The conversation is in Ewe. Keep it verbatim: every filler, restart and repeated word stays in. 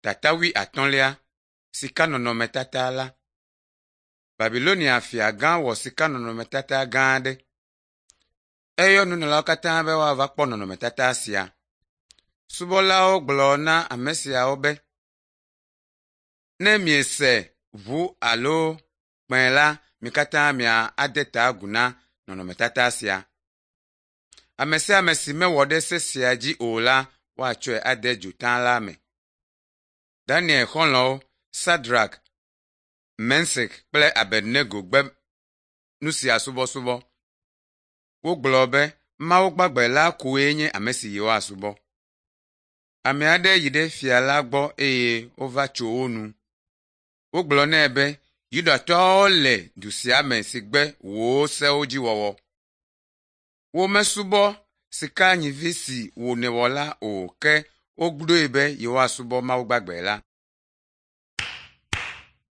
Tata wuiatɔ̃lia Sikanɔnɔmetata la. Babilonia fiagã wɔ sikanɔnɔmetata gã aɖe. Eyɔ nunɔlawo katã be woava kpɔ nɔnɔmetata sia. Subɔlawo gblɔ na ame siawo be, “Ne miese ʋu alo kpẽ la, mi katã miade ta agu na nɔnɔmetata sia. Ame sia ame si mewɔ ɖe se sia dzi o la, woatsɔe ade dzota la me.” Daniel xɔlɔ̃wo Sadrak, Mesak kple Abednego gbe nu sia subɔsubɔ. Wogblɔ be Mawu gbagbe la koe nye ame si yewoasubɔ. Ame aɖe yi ɖe fia la gbɔ eye wova tso wo nu. Wogblɔ nɛ be Yudatɔwo le du sia me si gbe wò sewo dzi wɔwɔ. Womesubɔ sikanyivi si wò nèwɔ la o ke woɖoe be yewoasubɔ Mawu gbagbe la.